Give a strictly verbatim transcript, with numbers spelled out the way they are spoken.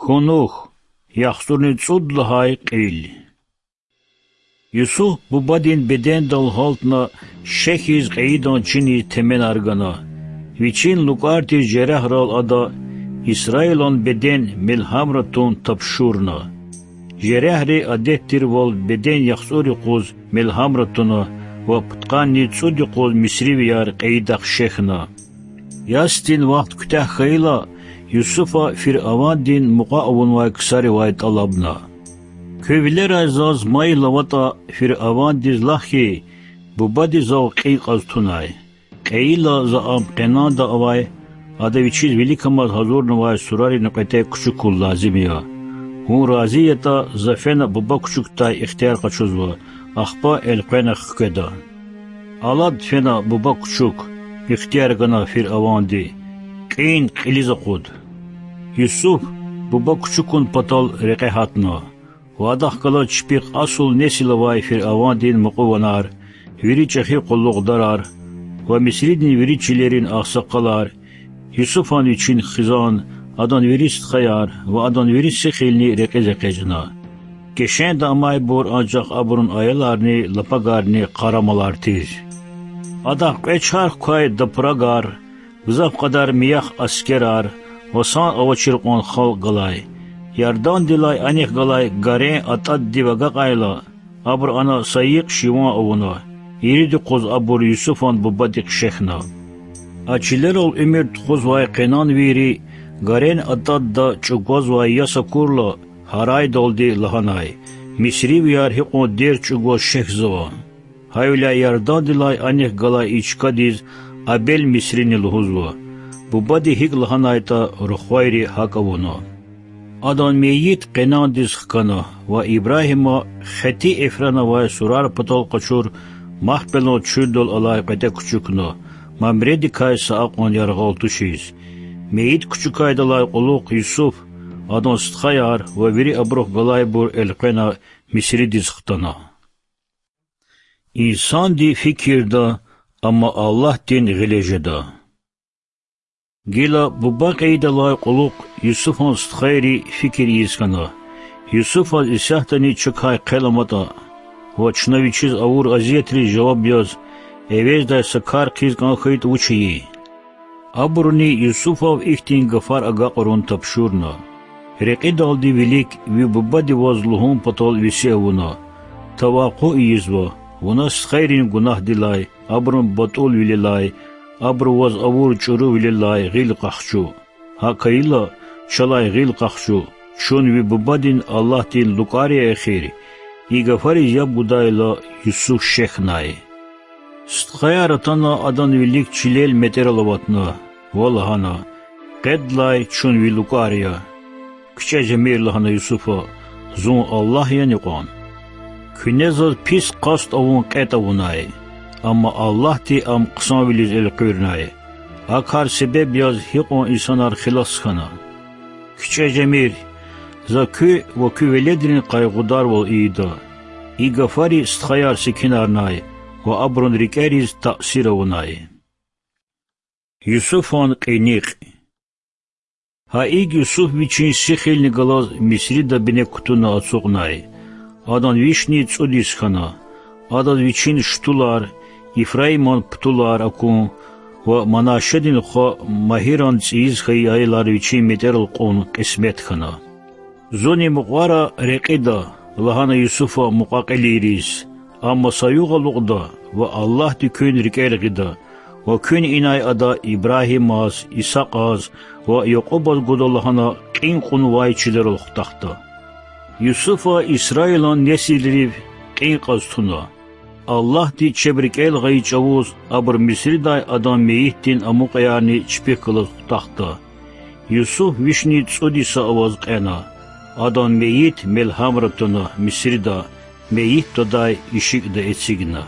Кунух, яхцӀурни цӀуд лагьай кьил. Юсуф бубадин бедендал гьалтна, шехьиз кьейидан чиниз теменар гана. Вичин лукӀар тир жерягьрал ада Исраилан беден мелгьамра тун тапшурна. Жерягьри адет тирвал беден яхцӀур юкъуз мелгьамра туна ва пудкъанни цӀуд юкъуз мисривияр кьейидахъ шехьна. Ясдин вахт куьтягь хьайила, Юсуфа фиръавандин мукьва авунвай ксаривай тӀалабна: Куь вилерай заз майил аватӀа, фиръавандиз лагь хьи, бубади зав кьин кьаз тунай. Кьейила, за ам къенанда авай, ада вичиз виликамаз гьазурнавай сурарин кьветӀе кучукун лазим я. Вун рази ятӀа, за фена буба кучукдай ихтияр къачузва, ахпа элкъвена хкведа. Алад фена буба кучук, ихтияр гана фиръаванди, кьин кьилиз акъуд. Юсуф буба кучукун патал рекье гьатна ва адахъ галаз чпихъ асул несил авай фиръавандин мукьуванар, вири чӀехи къуллугъдарар ва Мисридин вири чилерин агъсакъалар, Юсуфан вичин хизан, адан вири стхаяр ва адан вири сихилни рекьиз экъечӀна. Кешенда амайбур анжах абурун аяларни лапагарни къарамалар тир. Адахъ кьве чарх квай дапурагар, гзаф кьадар миях аскерар ва сан авачир кьван халкь галай, Ярдандилай анихъ галай гарен атӀаддив агакьайла, абуру ана са йикъ шиван авуна, ирид юкъуз абур Юсуфан бубадихъ шехьна. А чилерал уьмуьр тухузвай къенанвийри гарен атӀадда чӀугвазвай яс акурла, гьарайдалди лагьанай: Мисривияр гьикьван дерт чӀугваз шехьзава! Гьавиляй Ярдандилай анихъ галай и чкадиз Абел-Мисрини лугьузва. Бубади гьикӀ лагьанайтӀа, рухвайри гьакӀ авуна. Адан мейит къенандиз хкана ва Ибрагьима Хети Эфрана авай сурар патал къачур Махпелан чуьлдал алай кьветӀе кучукна, Мамредикай са акьван яргъал тушиз. Мейит кучукайдалай кьулухъ Юсуф, адан стхаяр ва вири абурухъ галайбур элкъвена Мисридиз хтана. Инсанди фикирда, амма Аллагьдин гъиле жеда. Гила буба кьейидалай кьулухъ Юсуфан стхайри фикир ийиз хьана: Юсуфаз исятдани чакай хъел аматӀа ва чна вичиз авур азиятриз жаваб яз, эвездай са кар хъийиз кӀан хьайитӀа вуч ийин? Абуруни Юсуфав ихьтин гафар агакьарун тапшурна: Рекьидалди вилик ви бубади ваз лугьун патал веси авуна. Тавакъу ийизва, вуна стхайрин гунагьдилай, абурун батӀулвилелай, абуру ваз авур чӀурувилелай гъил къахчу. ГьакӀ хьайила, чалай гъил къахчу, чун ви бубадин Аллагьдин лукӀар я эхир. И гафариз яб гудайла, Юсуф шехьнай. Стхаяр атана адан вилик чилел метӀерал аватна ва лагьана: Къедлай, чун ви лукӀар я. КичӀе жемир,— лагьана Юсуфа,— зун Аллагь яни кьван? Куьне заз пис къаст авун кьетӀ авунай, амма Аллагьди ам хъсанвилиз элкъуьрнай. А кар себеб яз гьикьван инсанар хилас хьана. КичӀе жемир, за куь ва куь веледрин къайгъударвал ийида. И гафари стхаяр секинарнай ва абурун рикӀериз таъсир авунай. Юсуфан кьиникь. Гьа икӀ Юсуф вичин сихилни галаз Мисрида бине кутуна ацукьнай. Адан вишни цӀуд йис хьана. Адаз вичин штулар, Ифраиман птулар акун ва Манашедин хва Магьиран цӀийиз хьайи аялар вичин метӀерал кьун кьисмет хьана. Зун и мукьвара рекьида,— лагьана Юсуфа мукьва-кьилийриз,— амма са югъ алукьда ва Аллагьди куьн рикӀел гъида, ва куьн инай ада Ибрагьимаз, Исакьаз ва Якьубаз гуда лагьана кьин кьунвай чилерал хутахда. Юсуфа Исраилан несилрив кьин кьаз туна. Аллагьди чеб рикӀел гъайи чӀавуз абур Мисридай адан мейитдин амукьаярни чпихъ галаз хутахда. Юсуф вишни цӀуд йиса аваз кьена. Адан мейит мелгьамра туна Мисрида, мейит твадай ишикӀда эцигна.